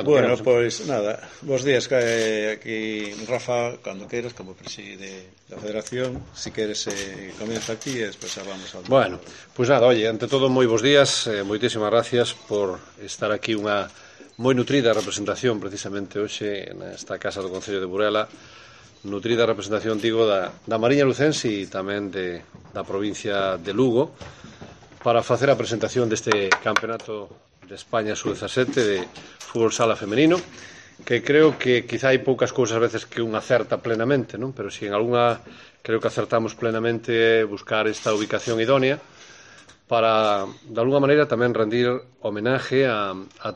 Bueno, pois nada, bos días, aquí Rafa, cando queiras, como preside da Federación, si queres comienza aquí e despois hablamos algo. Bueno, pois nada, oye, ante todo moi bos días, moitísimas gracias por estar aquí unha moi nutrida representación precisamente hoxe nesta casa do Concello de Burela, nutrida representación, digo, da Mariña Lucense e tamén da provincia de Lugo, para facer a presentación deste campeonato de España sub-17 de fútbol sala femenino, que creo que quizá hai poucas cousas a veces que un acerta plenamente, non? Pero si en algunha creo que acertamos plenamente buscar esta ubicación idónea para, de alguna maneira, tamén rendir homenaje a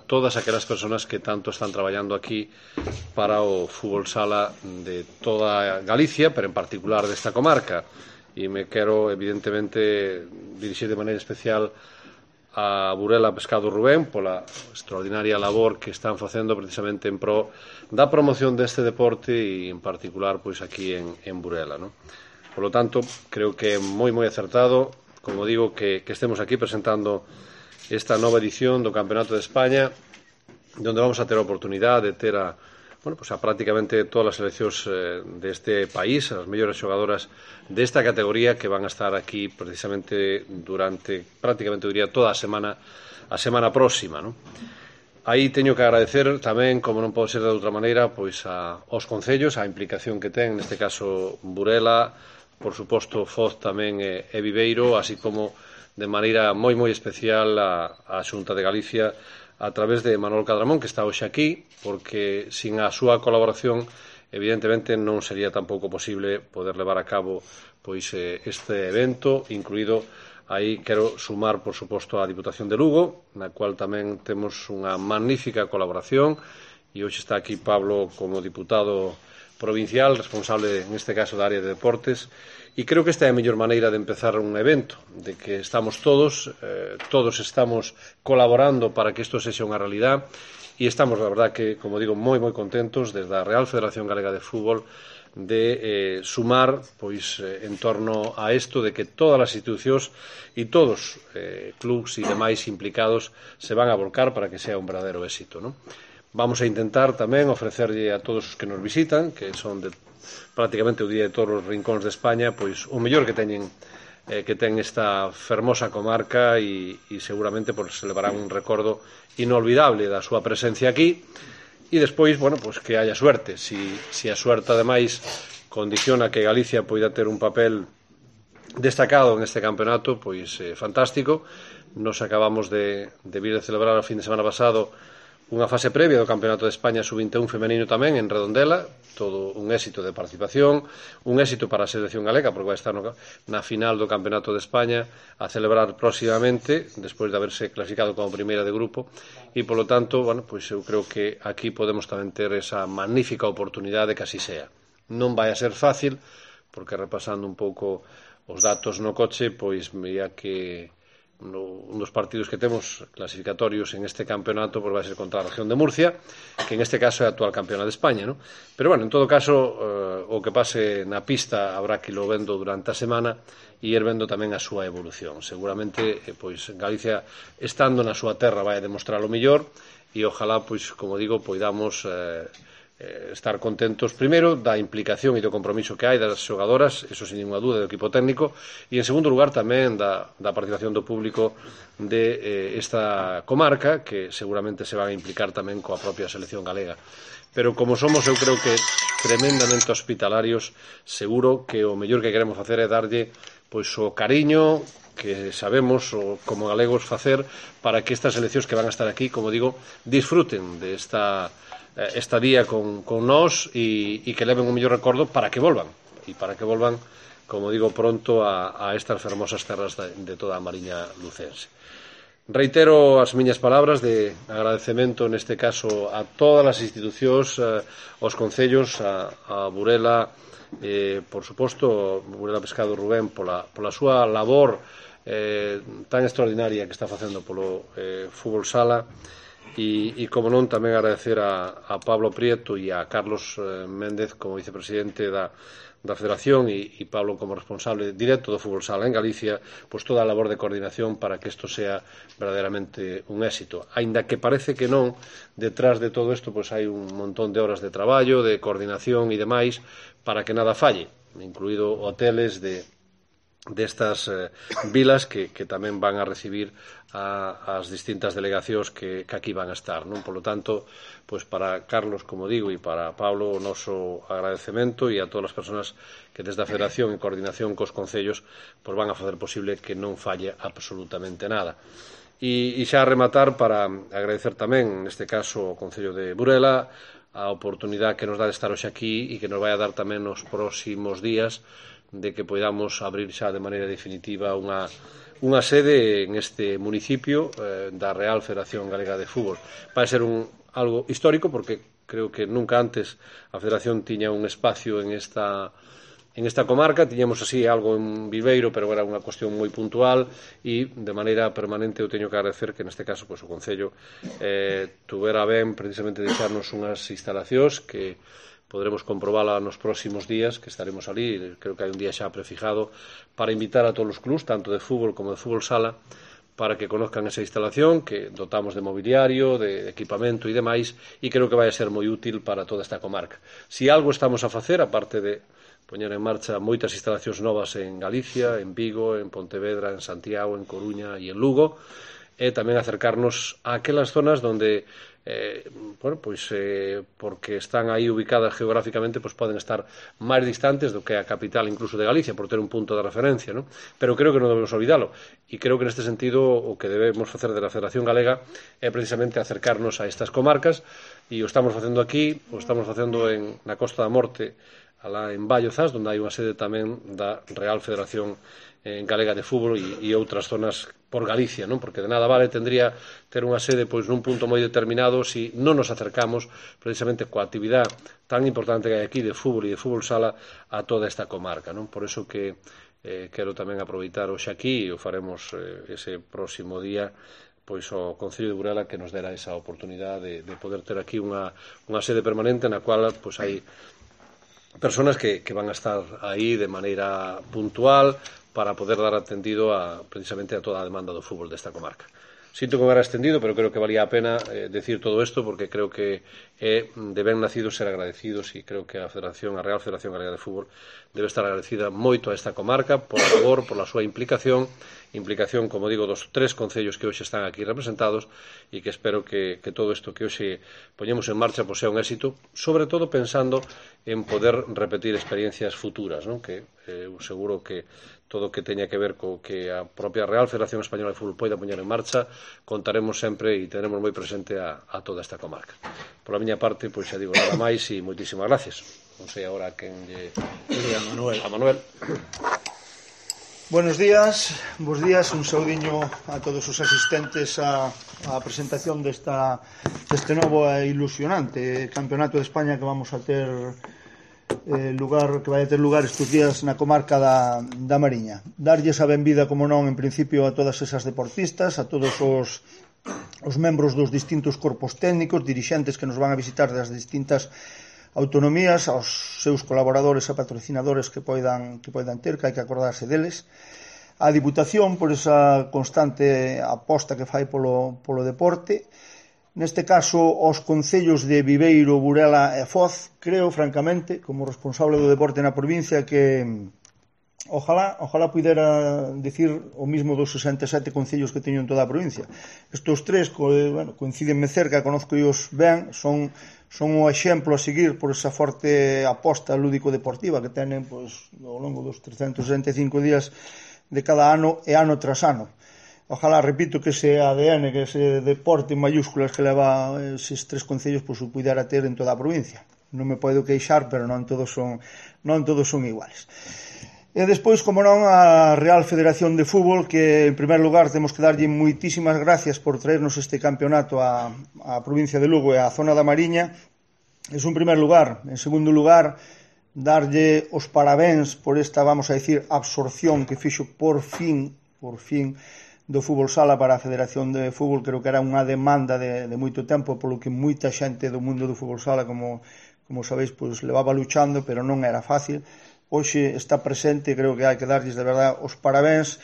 todas aquelas persoas que tanto están traballando aquí para o fútbol sala de toda Galicia, pero en particular desta comarca. E me quero, evidentemente, dirixir de maneira especial a Burela Pescado Rubén pola extraordinaria labor que están facendo precisamente en pro da promoción deste deporte e, en particular, pois aquí en Burela, non? Por lo tanto, creo que é moi acertado, como digo, que estemos aquí presentando esta nova edición do Campeonato de España, onde vamos a ter a oportunidade de ter a prácticamente todas as seleccións deste país, as mellores xogadoras desta categoría que van a estar aquí precisamente durante prácticamente, diría, toda a semana próxima, non? Aí teño que agradecer tamén, como non pode ser de outra maneira, pois aos concellos, a implicación que ten, neste caso Burela, por suposto Foz tamén e Viveiro, así como de maneira moi especial a Xunta de Galicia a través de Manuel Cadramón, que está hoxe aquí, porque sin a súa colaboración evidentemente non sería tampouco posible poder levar a cabo pois este evento, incluído aí quero sumar, por suposto, a Diputación de Lugo, na cual tamén temos unha magnífica colaboración, e hoxe está aquí Pablo como diputado provincial, responsable, neste caso, da área de deportes, e creo que esta é a mellor maneira de empezar un evento, de que estamos todos estamos colaborando para que isto sexa unha realidad, e estamos, la verdad, que, como digo, moi contentos desde a Real Federación Galega de Fútbol de sumar, pois, en torno a isto de que todas as institucións e todos clubs e demais implicados se van a volcar para que sea un verdadeiro éxito, non? Vamos a intentar tamén ofrecerlle a todos os que nos visitan, que son de prácticamente o día de todos os rincóns de España, pois o mellor que ten esta fermosa comarca e seguramente se levarán un recordo inolvidable da súa presencia aquí e despois, pois que haya suerte. Si a suerte, ademais, condiciona que Galicia poida ter un papel destacado en este campeonato, pois fantástico. Nos acabamos de vir de celebrar o fin de semana pasado unha fase previa do Campeonato de España sub-21 femenino tamén en Redondela, todo un éxito de participación, un éxito para a selección galega, porque vai estar na final do Campeonato de España a celebrar próximamente, despois de haberse clasificado como primeira de grupo, e, polo tanto, pois eu creo que aquí podemos tamén ter esa magnífica oportunidade que así sea. Non vai a ser fácil, porque repasando un pouco os datos no coche, pois veía que un dos partidos que temos clasificatorios en este campeonato vai ser contra a región de Murcia, que en este caso é a actual campeona de España, non? Pero, en todo caso, o que pase na pista habrá que lo vendo durante a semana e ir vendo tamén a súa evolución. Seguramente, pois, Galicia, estando na súa terra, vai a demostrar o mellor e ojalá, pois, como digo, poidamos estar contentos, primeiro, da implicación e do compromiso que hai das xogadoras, eso sin ninguna dúda, do equipo técnico, e en segundo lugar tamén da participación do público de esta comarca, que seguramente se van a implicar tamén coa propia selección galega. Pero como somos, eu creo que tremendamente hospitalarios, seguro que o mellor que queremos facer é darlle pois o cariño que sabemos como galegos facer para que estas seleccións que van a estar aquí, como digo, disfruten de esta estadía con nós e que leven un mellor recordo para que volvan como digo, pronto a estas fermosas terras de toda a Mariña Lucense. Reitero as miñas palabras de agradecemento, neste caso, a todas as institucións, aos concellos, a Burela, por suposto, Burela Pescado Rubén, pola súa labor tan extraordinaria que está facendo polo fútbol sala, e como non, tamén agradecer a Pablo Prieto e a Carlos Méndez como vicepresidente da Federación e Pablo como responsable directo do fútbol sala en Galicia, pois toda a labor de coordinación para que isto sea verdadeiramente un éxito. Aínda que parece que non, detrás de todo isto pois hai un montón de horas de traballo, de coordinación e demais para que nada falle, incluído hoteles destas vilas que tamén van a recibir as distintas delegacións que aquí van a estar, non? Por lo tanto, pois para Carlos, como digo, e para Pablo, o noso agradecemento e a todas as persoas que desde a Federación en coordinación cos concellos pois van a facer posible que non falle absolutamente nada. E xa a rematar para agradecer tamén, neste caso, ao Concello de Burela a oportunidade que nos dá de estar hoxe aquí e que nos vai a dar tamén nos próximos días de que podamos abrir xa de maneira definitiva unha sede en este municipio da Real Federación Galega de Fútbol. Vai ser algo histórico porque creo que nunca antes a Federación tiña un espacio en esta comarca. Tiñamos así algo en Viveiro, pero era unha cuestión moi puntual e de maneira permanente eu teño que agradecer que neste caso pois, o Concello tuvera ben precisamente deixarnos unhas instalacións que poderemos comprobarla nos próximos días, que estaremos ali, creo que hai un día xa prefijado, para invitar a todos os clubs, tanto de fútbol como de fútbol sala, para que conozcan esa instalación, que dotamos de mobiliario, de equipamento e demais, e creo que vai a ser moi útil para toda esta comarca. Si algo estamos a facer, aparte de poñer en marcha moitas instalacións novas en Galicia, en Vigo, en Pontevedra, en Santiago, en Coruña e en Lugo, e tamén acercarnos a aquelas zonas onde porque están aí ubicadas geográficamente, pois poden estar máis distantes do que a capital incluso de Galicia, por ter un punto de referencia, non? Pero creo que non debemos olvidalo, e creo que neste sentido o que debemos facer de la Federación Galega é precisamente acercarnos a estas comarcas, e o estamos facendo aquí, o estamos facendo na Costa da Morte, alá en Ballozas, onde hai unha sede tamén da Real Federación Galega de Fútbol e outras zonas por Galicia, non? Porque de nada vale tendría ter unha sede pois nun punto moi determinado se non nos acercamos precisamente coa actividade tan importante que hai aquí de fútbol e de fútbol sala a toda esta comarca, non? Por eso que quero tamén aproveitar hoxe aquí e o faremos ese próximo día pois ao Concello de Burela que nos dera esa oportunidade de poder ter aquí unha sede permanente na cual pois hai personas que van a estar aí de maneira puntual para poder dar atendido precisamente a toda a demanda do fútbol desta comarca. Sinto que me era extendido, pero creo que valía a pena decir todo isto porque creo que é de ben nacido ser agradecidos e creo que a Real Federación Galega de Fútbol debe estar agradecida moito a esta comarca por a labor, por a súa implicación, como digo, dos 3 concellos que hoxe están aquí representados e que espero que todo isto que hoxe poñemos en marcha pois sea un éxito, sobre todo pensando en poder repetir experiencias futuras, non? Que seguro que todo o que teña que ver co que a propia Real Federación Española de Fútbol poida poñer en marcha, contaremos sempre e teremos moi presente a toda esta comarca. Por a miña parte, pois xa digo nada máis e moitísimas gracias. Non sei agora quen lle... A Manuel. Buenos días, un saudiño a todos os asistentes á presentación deste novo e ilusionante Campeonato de España que vamos a ter que vai a ter lugar estes días na comarca da Mariña. Darlles a benvida, como non, en principio a todas esas deportistas, a todos os membros dos distintos corpos técnicos, dirixentes que nos van a visitar das distintas autonomías, aos seus colaboradores e patrocinadores que poidan ter, que hai que acordarse deles, a Diputación por esa constante aposta que fai polo deporte, neste caso aos concellos de Viveiro, Burela e Foz. Creo, francamente, como responsable do deporte na provincia, que ojalá pudera dicir o mismo dos 67 concellos que teño en toda a provincia. Estos 3 coincídenme cerca, conozcoos ben, son o exemplo a seguir por esa forte aposta lúdico-deportiva que tenen ao longo dos 365 días de cada ano e ano tras ano. Ojalá, repito, que ese ADN, que ese deporte en mayúsculas que leva eses 3 concellos, pois o pudera ter en toda a provincia. Non me podo queixar, pero non todos son iguales. E despois, como non, a Real Federación de Fútbol, que en primer lugar temos que darlle moitísimas gracias por traernos este campeonato á provincia de Lugo e á zona da Mariña. Es un primer lugar. En segundo lugar, darlle os parabéns por esta, vamos a decir, absorción que fixo por fin do fútbol sala para a Federación de Fútbol. Creo que era unha demanda de moito tempo, polo que moita xente do mundo do fútbol sala, como sabéis, pois levaba luchando, pero non era fácil. Hoxe está presente, creo que hai que darlles de verdade os parabéns.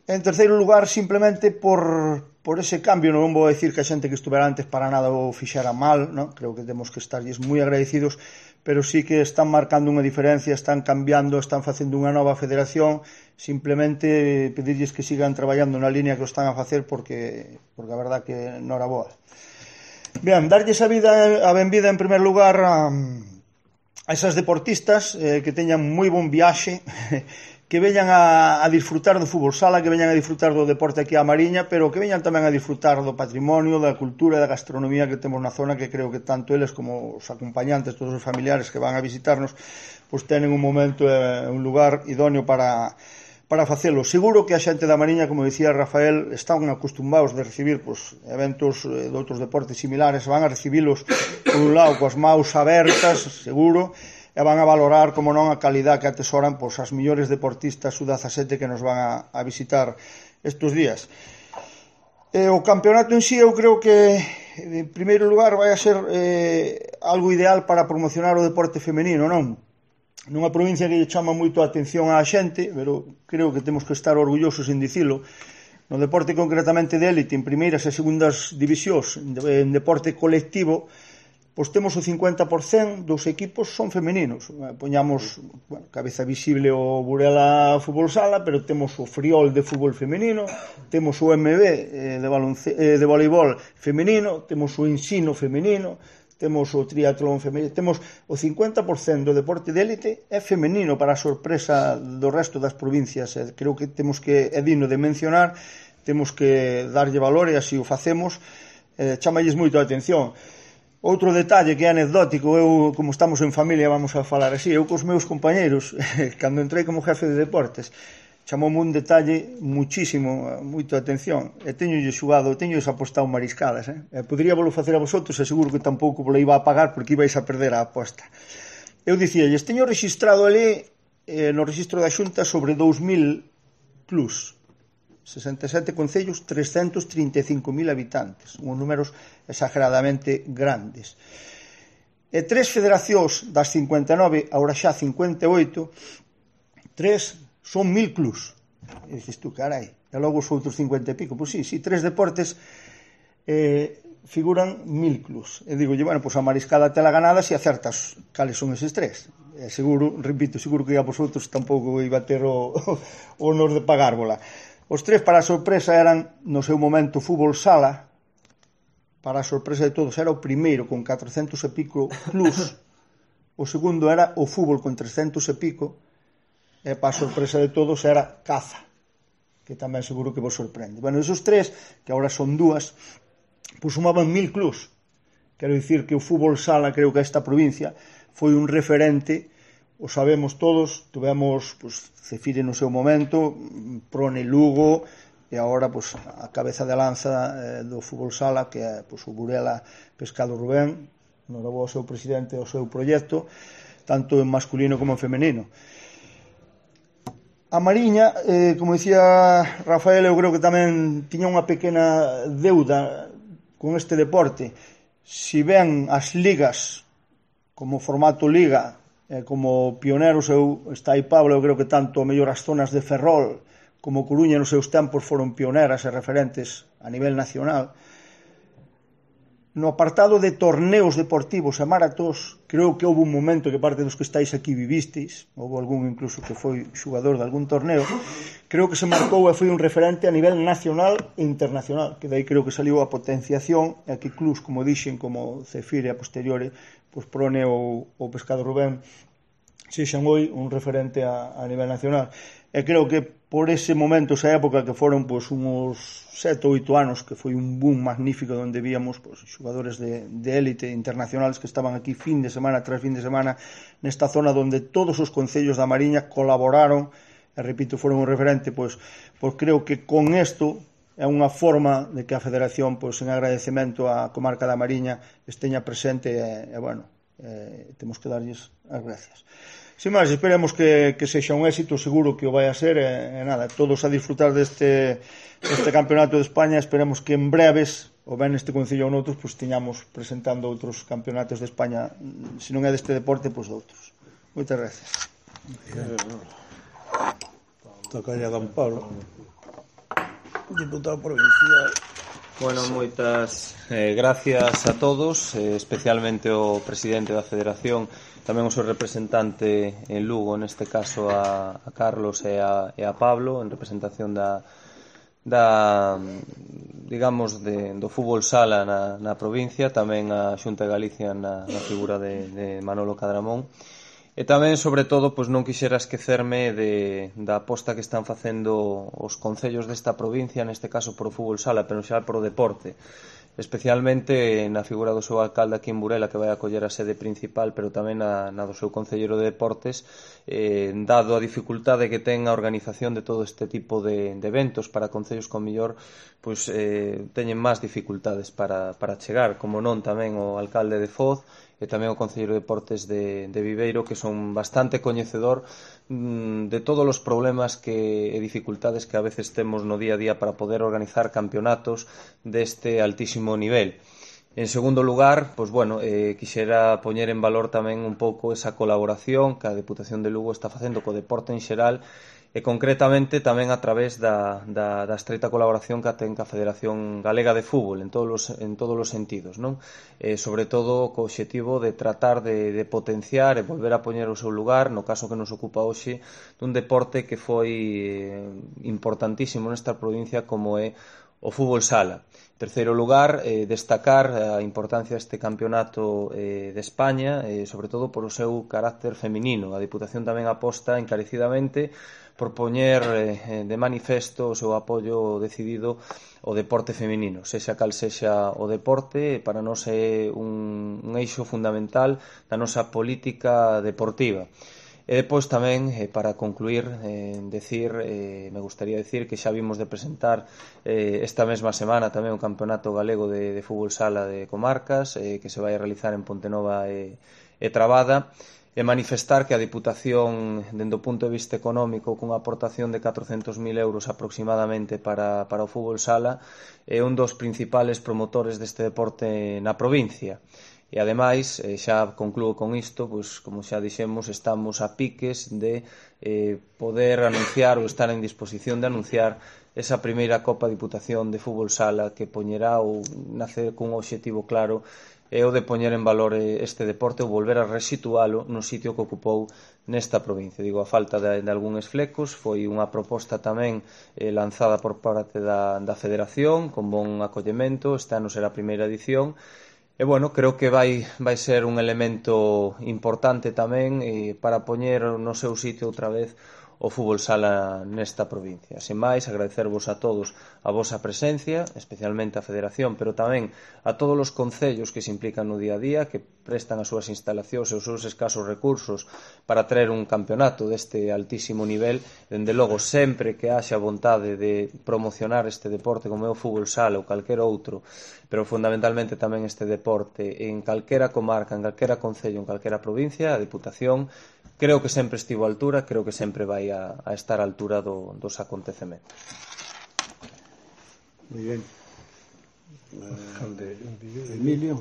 En terceiro lugar, simplemente por ese cambio, non vou decir que a xente que estuvera antes para nada o fixera mal, non? Creo que temos que estarlles moi agradecidos, pero sí que están marcando unha diferencia, están cambiando, están facendo unha nova federación. Simplemente pedirlles que sigan traballando na línea que o están a facer, porque a verdad que non era boa. Ben, darlles a benvida en primer lugar a esas deportistas que teñan moi bon viaxe, que veñan a disfrutar do fútbol sala, que veñan a disfrutar do deporte aquí a Mariña, pero que veñan tamén a disfrutar do patrimonio, da cultura e da gastronomía que temos na zona, que creo que tanto eles como os acompañantes, todos os familiares que van a visitarnos, pois tenen un momento e un lugar idóneo para facelo. Seguro que a xente da Mariña, como dicía Rafael, están acostumbados de recibir eventos de outros deportes similares, van a recibilos por un lado coas maus abertas, seguro, e van a valorar, como non, a calidad que atesoran as millores deportistas sub-17 que nos van a visitar estes días. O campeonato en sí, eu creo que en primeiro lugar vai a ser algo ideal para promocionar o deporte femenino, non? Nunha provincia que lle chama moito a atención á xente, pero creo que temos que estar orgullosos en dicilo. No deporte concretamente de élite, en primeiras e segundas divisións, en deporte colectivo, pois temos o 50% dos equipos son femeninos. Poñamos, cabeza visible o Burela Fútbol Sala, pero temos o Friol de fútbol femenino, temos o MB de voleibol femenino, temos o Ensino femenino, temos o triatlón femenino, temos o 50% do deporte de élite é femenino, para a sorpresa do resto das provincias. Creo que temos que, é digno de mencionar, temos que darlle valor, e así o facemos. Chamalles moito a atención. Outro detalle que é anecdótico, eu, como estamos en familia, vamos a falar así, eu cos meus compañeros, cando entrei como jefe de deportes, chamoume un detalle moito a atención, e teñolles apostado mariscadas, podría volo facer a vosotros, e seguro que tampouco volo iba a pagar, porque ibais a perder a aposta. Eu dicíalles, teño registrado ali no registro da Xunta sobre 2000 plus, 67 concellos, 335.000 habitantes, uns números exageradamente grandes. E 3 federacións das 59, agora xa 58, 3 son 1000 clubs. E dices tú, carai, e logo os outros 50 e pico. Pois sí, 3 deportes figuran 1000 clubs. E digo, bueno, pois a mariscada tela ganada se acertas cales son eses 3. E seguro, repito, seguro que a vosotros tampouco iba a ter o honor de pagárvola. Os 3, para a sorpresa, eran, no seu momento, fútbol sala. Para a sorpresa de todos, era o primeiro con 400 e pico plus. O segundo era o fútbol con 300 e pico. E para a sorpresa de todos era caza, que tamén seguro que vos sorprende. Bueno, esos 3, que agora son 2, pois sumaban 1000 clubs. Quero dicir que o fútbol sala, creo que esta provincia, foi un referente. O sabemos todos, tuvemos Cefire no seu momento, Prone Lugo, e agora a cabeza de lanza do fútbol sala, que é o Burela Pescado Rubén, norabou ao seu presidente e ao seu proxecto, tanto en masculino como en femenino. A Mariña, como dicía Rafael, eu creo que tamén tiña unha pequena deuda con este deporte. Si ben as ligas, como formato liga, como pioneros, está aí Pablo, eu creo que tanto a mellor as zonas de Ferrol como Coruña nos seus tempos foron pioneras e referentes a nivel nacional. No apartado de torneos deportivos e maratós, creo que houve un momento que parte dos que estáis aquí vivisteis, houve algún incluso que foi xugador de algún torneo, creo que se marcou e foi un referente a nivel nacional e internacional, que dai creo que saliu a potenciación, e que clubs, como dixen, como Cefire a posteriori, Prone ou Pescado Rubén, sexan hoi un referente a nivel nacional. E creo que por ese momento, esa época, que foron uns 7 ou 8 anos, que foi un boom magnífico, onde víamos xogadores de élite internacionales que estaban aquí fin de semana tras fin de semana, nesta zona onde todos os concellos da Mariña colaboraron, e repito, foron un referente, pois creo que con isto é unha forma de que a Federación, en agradecemento á comarca da Mariña, esteña presente e temos que darlles as gracias. Sin máis, esperemos que sexa un éxito, seguro que o vai a ser, e nada, todos a disfrutar deste campeonato de España. Esperemos que en breves, ou ben neste concello ou noutros, pues, tiñamos presentando outros campeonatos de España, se non é deste deporte, pois doutros. Moitas gracias. Toca ya don Pablo, diputado provincial. Bueno, moitas gracias a todos, especialmente ao presidente da Federación, tamén o seu representante en Lugo, neste caso a Carlos e a Pablo, en representación digamos, do fútbol sala na provincia, tamén a Xunta de Galicia na figura de Manolo Cadramón. E tamén, sobre todo, pois non quixera esquecerme da aposta que están facendo os concellos desta provincia, neste caso por o fútbol sala, pero xa por o deporte, especialmente na figura do seu alcalde aquí en Burela, que vai acoller a sede principal, pero tamén na do seu concellero de deportes, dado a dificultade que ten a organización de todo este tipo de eventos para concellos con mellor, pois teñen máis dificultades para chegar, como non tamén o alcalde de Foz e tamén o Concelleiro de Deportes de Viveiro, que son bastante coñecedor de todos os problemas e dificultades que a veces temos no día a día para poder organizar campeonatos deste altísimo nivel. En segundo lugar, pois bueno, quixera poñer en valor tamén un pouco esa colaboración que a Deputación de Lugo está facendo co deporte en xeral, e concretamente tamén a través da estreita colaboración que ten ca Federación Galega de Fútbol en todos os sentidos, non? Sobre todo co obxectivo de tratar de potenciar e volver a poñer o seu lugar, no caso que nos ocupa hoxe, dun deporte que foi importantísimo nesta provincia como é o fútbol sala. En terceiro lugar, destacar a importancia deste campeonato de España, sobre todo por o seu carácter feminino. A Diputación tamén aposta encarecidamente por poñer de manifesto o seu apoio decidido ao deporte feminino, sexa cal sexa o deporte, para nós é un eixo fundamental da nosa política deportiva. E depois tamén, para concluir, me gustaría decir que xa vimos de presentar esta mesma semana tamén o Campeonato Galego de Fútbol Sala de Comarcas, que se vai a realizar en Pontenova e Trabada, e manifestar que a Diputación, dende o punto de vista económico, cunha aportación de 400.000 euros aproximadamente para o fútbol sala, é un dos principales promotores deste deporte na provincia. E ademais, xa concluo con isto, pois, como xa dixemos, estamos a piques de poder anunciar ou estar en disposición de anunciar esa primeira Copa Diputación de Fútbol Sala que poñerá ou nace cun obxectivo claro, é o de poñer en valor este deporte ou volver a resitualo no sitio que ocupou nesta provincia. Digo, a falta de algúns flecos, foi unha proposta tamén lanzada por parte da Federación, con bon acollemento, este ano será a primeira edición, e, bueno, creo que vai ser un elemento importante tamén para poñer no seu sitio outra vez o fútbol sala nesta provincia. Sen máis, agradecervos a todos a vosa presencia, especialmente a Federación, pero tamén a todos os concellos que se implican no día a día, que prestan as súas instalacións e os seus escasos recursos para traer un campeonato deste altísimo nivel. Dende logo, sempre que haxa vontade de promocionar este deporte como é o fútbol sala ou calquer outro, pero fundamentalmente tamén este deporte en calquera comarca, en calquera concello, en calquera provincia, a Diputación creo que sempre estivo á altura, creo que sempre vai a estar á altura dos acontecementos. Muy bien. Emilio.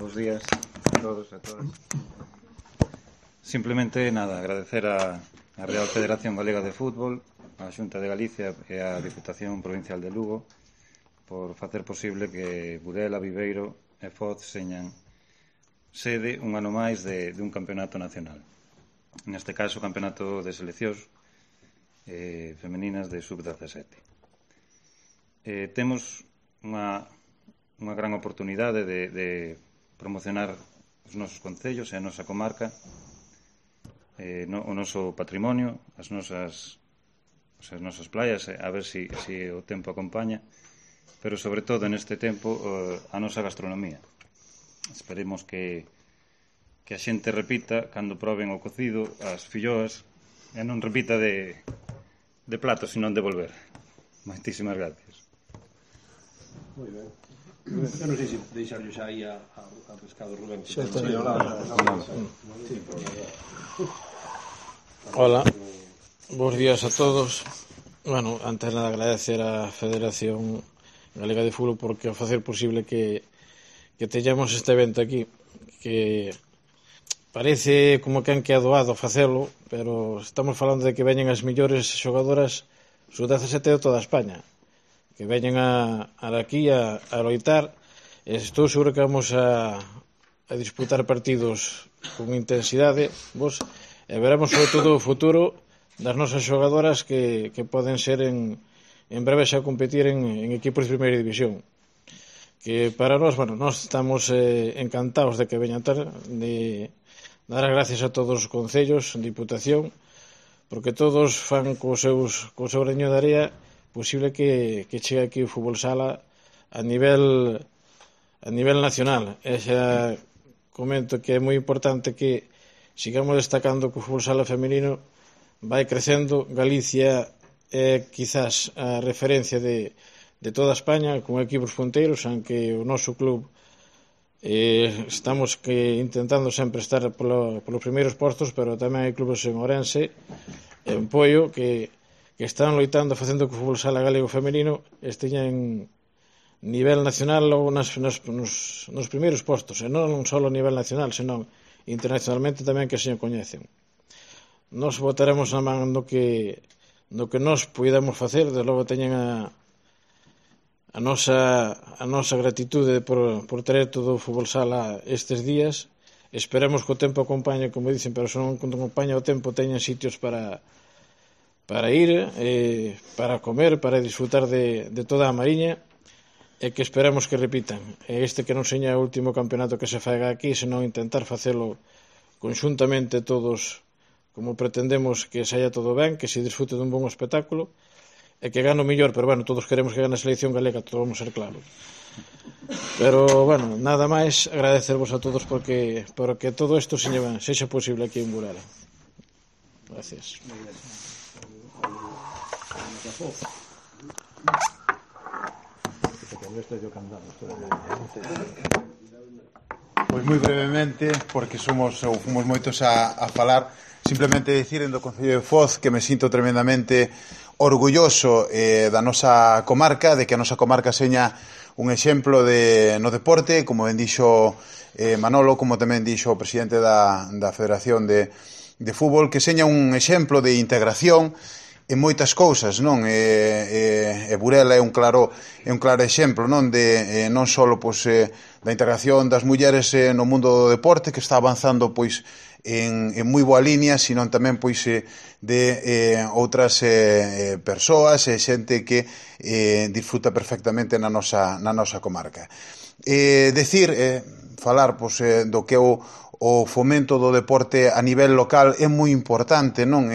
Bos días a todos e a todas. Simplemente, nada, agradecer a Real Federación Galega de Fútbol, a Xunta de Galicia e a Diputación Provincial de Lugo por facer posible que Burela, Viveiro e Foz señan sede un ano máis de un campeonato nacional. Neste caso, o campeonato de seleccións femeninas de sub-17. Temos unha gran oportunidade de promocionar os nosos concellos e a nosa comarca, o noso patrimonio, as nosas playas, a ver se o tempo acompaña, pero sobre todo neste tempo a nosa gastronomía. Esperemos que a xente repita cando proben o cocido, as filloas, e non repita de platos, senón de volver. Moitísimas gracias. Moi ben. Eu non sei se deixarlo xa aí a Pescado Rubén. Hola, bons días a todos. Bueno, antes nada agradecer á Federación Galega de Fútbol porque ao facer posible que teñamos este evento aquí, que parece como que han quedado facelo, pero estamos falando de que veñen as millores xogadoras sub-17 de toda España, que veñen aquí a loitar, e estou seguro que vamos a disputar partidos con intensidade, e veremos sobre todo o futuro das nosas xogadoras que poden ser en breve xa competir en equipos de primeira división, que para nós, bueno, nós estamos encantados de que veñan de dar as gracias a todos os concellos, Diputación, porque todos fan co seu graño de area posible que chegue aquí o fútbol sala a nivel nacional. E xa comento que é moi importante que sigamos destacando que o fútbol sala femenino vai crecendo. Galicia é quizás a referencia de toda España con equipos punteiros, aunque o noso club estamos intentando sempre estar polos primeiros postos, pero tamén hai clubes en Ourense, en Poio, que están loitando facendo que o fútbol sala galego femenino esteña en nivel nacional ou nos primeiros postos, e non só a nivel nacional, senón internacionalmente tamén que se coñecen. Nos botaremos na man no que nos podemos facer, de logo teñen a nosa gratitude por traer todo o fútbol sala estes días. Esperemos que o tempo acompañe, como dicen, pero se non acompaña o tempo teñen sitios para ir, para comer, para disfrutar de toda a Mariña, e que esperemos que repitan. Este que non seña o último campeonato que se faga aquí, senón intentar facelo conxuntamente todos, como pretendemos que saia todo ben, que se disfrute dun bon espectáculo, e que gane o mellor, pero bueno, todos queremos que gane a selección galega, todos vamos a ser claros. Pero, bueno, nada máis, agradecervos a todos porque todo isto sexa posible aquí en Burela. Gracias. Pois moi brevemente, porque fomos moitos a falar, simplemente dicir do Concello de Foz que me sinto tremendamente orgulloso da nosa comarca, de que a nosa comarca seña un exemplo no deporte, como ben dixo Manolo, como tamén dixo o presidente da Federación de Fútbol, que seña un exemplo de integración en moitas cousas, non? E Burela é un claro exemplo, non? De non só da integración das mulleres no mundo do deporte, que está avanzando pois en moi boa línea, sino tamén pois de outras persoas e xente que disfruta perfectamente na nosa comarca. Falar do que o fomento do deporte a nivel local é moi importante, non?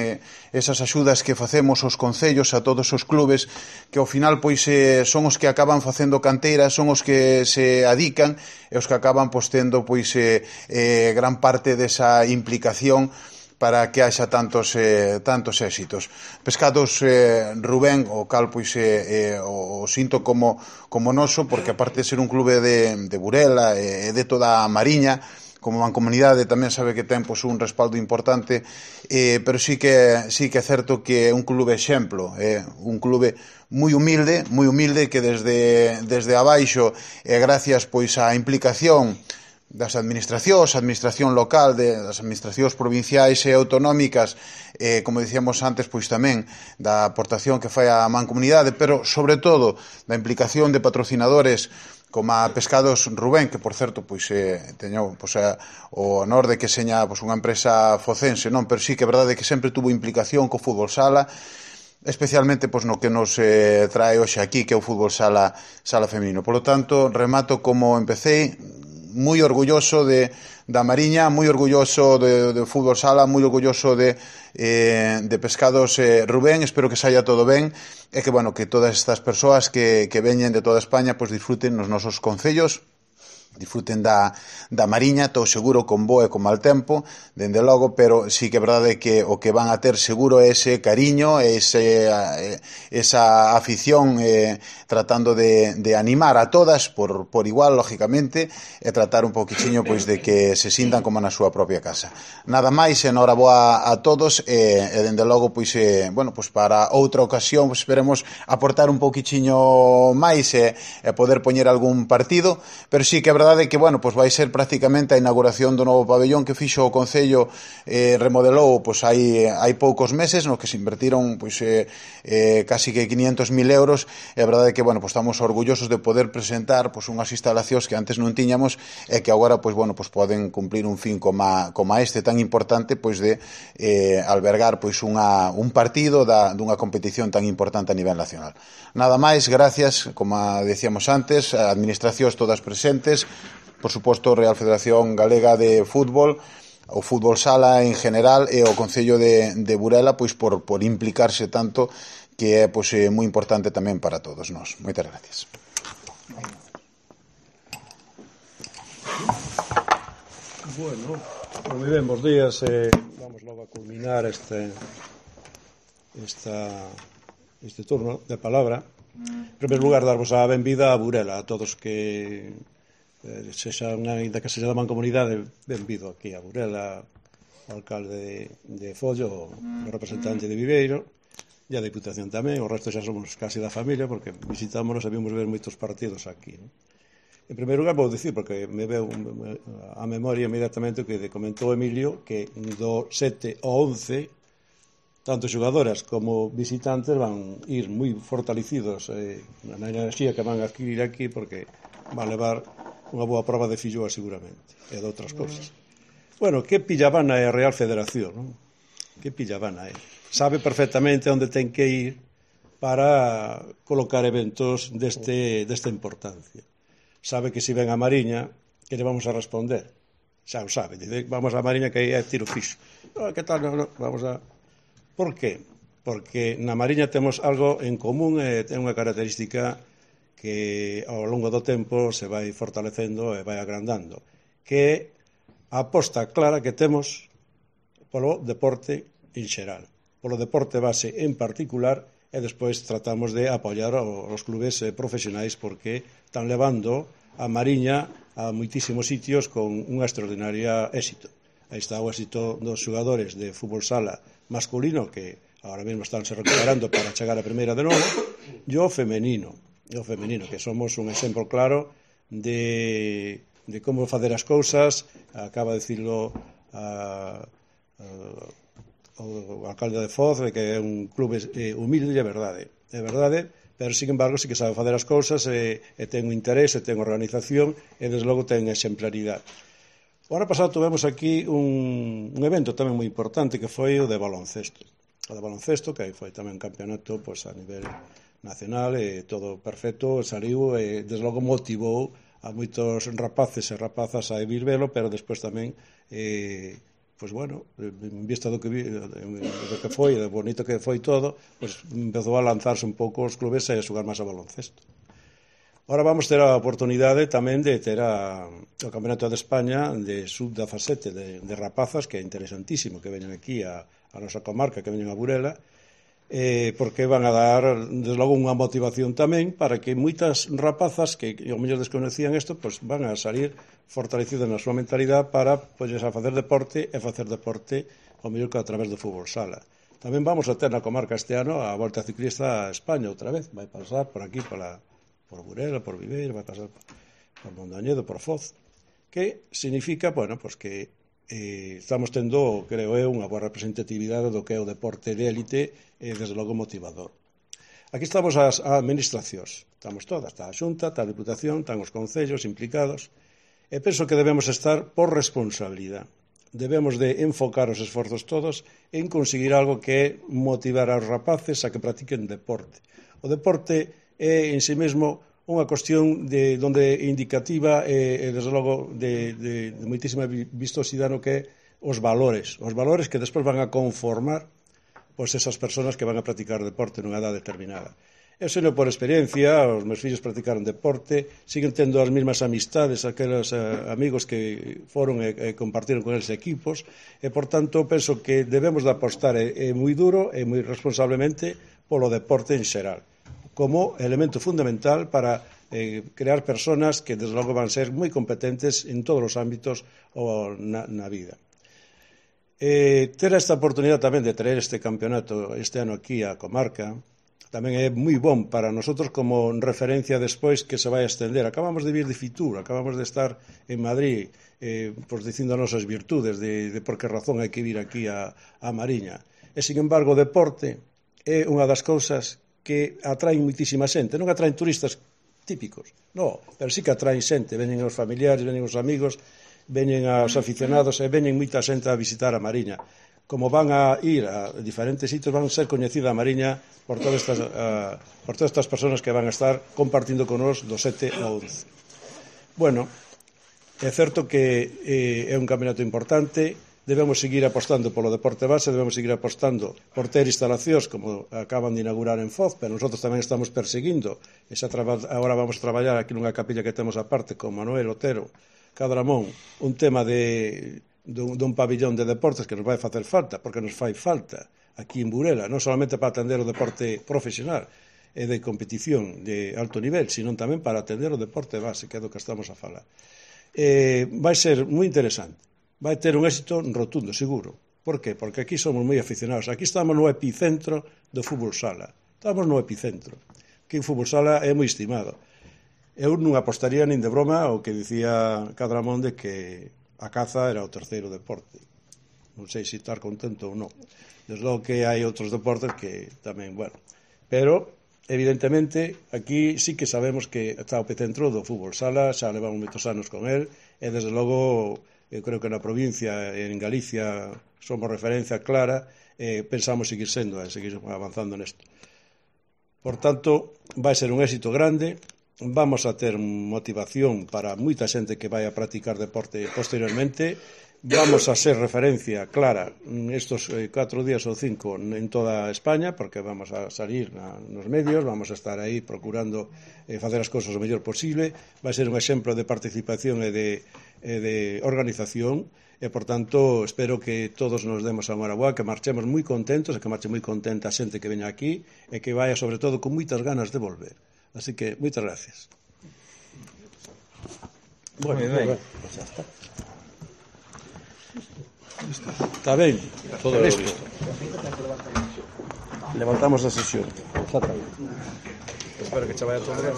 Esas axudas que facemos aos concellos, a todos os clubes, que ao final pois son os que acaban facendo canteira, son os que se adican e os que acaban tendo gran parte desa implicación para que haxa tantos éxitos. Pescados Rubén, o cal o sinto como noso, porque aparte de ser un clube de Burela e de toda a Mariña, como mancomunidade tamén sabe que ten un respaldo importante, pero sí que é certo que é un clube exemplo, un clube moi humilde, que desde abaixo, gracias á implicación das administracións, a administración local, das administracións provinciais e autonómicas, como dicíamos antes, pois tamén da aportación que fai a mancomunidade, pero sobre todo da implicación de patrocinadores como a Pescados Rubén, que por certo teño o honor de que seña unha empresa focense, non, pero sí que é verdade que sempre tuvo implicación co fútbol sala, especialmente no que nos trae hoxe aquí, que é o fútbol sala femenino. Por lo tanto, remato como empecé, moi orgulloso da Mariña, moi orgulloso de fútbol sala, moi orgulloso de Pescados Rubén. Espero que saia todo ben e que todas estas persoas que veñen de toda España disfruten nos nosos concellos disfruten da Mariña, estou seguro, con bo e con mal tempo, dende logo, pero sí que é verdade que o que van a ter seguro é ese cariño, esa afición, tratando de animar a todas por igual, lógicamente, e tratar un poquichiño pois de que se sintan como na súa propia casa. Nada máis, enhoraboa a todos, e dende logo, pois, bueno, pois para outra ocasión, pois, esperemos aportar un poquichiño máis e poder poñer algún partido, pero sí que é verdade que, bueno, pois vai ser prácticamente a inauguración do novo pabellón que fixo o Concello, remodelou pois hai poucos meses, no que se invertiron pois casi que 500.000 euros, e a verdade é que, bueno, pois estamos orgullosos de poder presentar pois unhas instalacións que antes non tiñamos e que agora pois, bueno, pois poden cumplir un fin como este tan importante, pois de albergar pois un partido dunha competición tan importante a nivel nacional. Nada máis, gracias, como decíamos antes, a administracións todas presentes, por suposto, Real Federación Galega de Fútbol, o Fútbol Sala en general e o Concello de Burela, pois por implicarse tanto, que é pois moi importante tamén para todos nós. Moitas gracias. Bueno, moi ben, bons días. Vamos logo a culminar este turno de palabra. En primeiro lugar, darvos a benvida a Burela, a todos que ainda que sexa da mancomunidade, benvido aquí a Burela, o alcalde de Follo, o representante de Viveiro, e a Diputación tamén. O resto xa somos casi da familia, porque visitámonos e vimos ver moitos partidos aquí, non? En primeiro lugar, vou dicir, porque me veu a memoria inmediatamente o que comentou Emilio, que do 7 ao 11 tanto xogadoras como visitantes van ir moi fortalecidos na enerxía que van a adquirir aquí, porque van levar unha boa prova de filloa seguramente, e de outras cousas. Bueno, que pillavana é a Real Federación, non? Que pillavana é? Sabe perfectamente onde ten que ir para colocar eventos desta importancia. Sabe que se ven a Mariña, que lle vamos a responder. Xa o sabe, dice, vamos a Mariña que é tiro fixo. Que tal? No, vamos a... Por qué? Porque na Mariña temos algo en común e ten unha característica que ao longo do tempo se vai fortalecendo e vai agrandando, que é a aposta clara que temos polo deporte en xeral, polo deporte base en particular, e despois tratamos de apoiar os clubes profesionais, porque están levando a Mariña a moitísimos sitios con unha extraordinaria éxito. Aí está o éxito dos xogadores de fútbol sala masculino, que agora mesmo estánse recuperando para chegar a primeira de novo, e o femenino, que somos un exemplo claro de como facer as cousas. Acaba de dicirlo o alcalde de Foz, que é un clube humilde, é verdade, pero, sin embargo, sí que sabe facer as cousas, e ten un interés, e ten organización, e, desde logo, ten exemplaridade. O ano pasado tivemos aquí un evento tamén moi importante, que foi o de baloncesto. O de baloncesto, que foi tamén un campeonato a nivel nacional, e todo perfecto, saliu, e, desde logo, motivou a moitos rapaces e rapazas a vir velo, pero despois tamén pois bueno, en vista do que foi, do bonito que foi todo, pois empezou a lanzarse un pouco os clubes e a xogar máis a baloncesto. Ahora vamos ter a oportunidade tamén de ter o Campeonato de España de sub-17 de rapazas, que é interesantísimo que veñan aquí a nosa comarca, que veñan a Burela, porque van a dar, desde logo, unha motivación tamén para que moitas rapazas que ao mellor desconocían isto, pois van a salir fortalecidas na súa mentalidade para a facer deporte, e facer deporte ao mellor que a través do fútbol sala. Tamén vamos a ter na comarca este ano a Volta Ciclista a España outra vez, vai pasar por aquí, por Burela, por Viveiro, vai pasar por Mondoñedo, por Foz, que significa, bueno, pois que estamos tendo, creo eu, unha boa representatividade do que é o deporte de élite, e, desde logo, motivador. Aquí estamos as administracións, estamos todas, está a Xunta, está a Diputación, están os concellos implicados, e penso que debemos estar por responsabilidade. Debemos de enfocar os esforzos todos en conseguir algo que é motivar aos rapaces a que practiquen deporte. O deporte é, en si mesmo, unha cuestión donde indicativa e, desde logo, de moitísima vistosidade no que é os valores que despois van a conformar pois esas persoas que van a practicar deporte nunha edad determinada. Eu sei por experiencia, os meus fillos practicaron deporte, siguen tendo as mesmas amistades, aqueles amigos que foron e compartiron con eles equipos, e, por tanto, penso que debemos de apostar moi duro e moi responsablemente polo deporte en xeral, como elemento fundamental para crear personas que, desde logo, van ser moi competentes en todos os ámbitos na vida. Ter esta oportunidade tamén de traer este campeonato este ano aquí á comarca tamén é moi bon para nosotros como referencia despois que se vai a estender. Acabamos de vir de Fitur, acabamos de estar en Madrid pois dicindo as nosas virtudes de por que razón hai que vir aquí a Mariña. E, sin embargo, o deporte é unha das cousas que atraen moitísima xente. Non atraen turistas típicos, non, pero sí que atraen xente. Veñen os familiares, veñen os amigos, veñen os aficionados e veñen moita xente a visitar a Mariña. Como van a ir a diferentes sitios, van a ser coñecida a Mariña por todas estas persoas que van a estar compartindo con nos do 7 ao 11. Bueno, é certo que é un campeonato importante, debemos seguir apostando polo deporte base, debemos seguir apostando por ter instalacións como acaban de inaugurar en Foz, pero nosotros tamén estamos perseguindo. Agora vamos a traballar aquí nunha capilla que temos aparte con Manuel Otero Cadramón, un tema dun pabillón de deportes que nos vai facer falta, porque nos fai falta aquí en Burela, non solamente para atender o deporte profesional e de competición de alto nivel, sino tamén para atender o deporte base, que é do que estamos a falar. Vai ser moi interesante, vai ter un éxito rotundo, seguro. Por qué? Porque aquí somos moi aficionados, aquí estamos no epicentro do fútbol sala, estamos no epicentro, que o fútbol sala é moi estimado. Eu non apostaría nin de broma o que dicía Cadramón de que a caza era o terceiro deporte. Non sei se estar contento ou non. Desde logo que hai outros deportes que tamén, bueno. Pero, evidentemente, aquí sí que sabemos que está o epicentro do fútbol sala, xa levamos moitos anos con el, e desde logo, eu creo que na provincia, en Galicia, somos referencia clara, e pensamos seguir sendo, seguir avanzando nesto. Por tanto, vai ser un éxito grande. Vamos a ter motivación para moita xente que vai a practicar deporte posteriormente. Vamos a ser referencia clara estos 4 días ou 5 en toda España, porque vamos a salir nos medios, vamos a estar aí procurando facer as cousas o mellor posible. Vai ser un exemplo de participación e de organización, e, por tanto, espero que todos nos demos a enhorabuá, que marchemos moi contentos, e que marche moi contenta a xente que veña aquí, e que vaya, sobre todo, con moitas ganas de volver. Así que, moitas gracias. Bueno, pues ya está. Está ben. Todo listo. Levantamos a sesión. Espero que che vaya todo ben.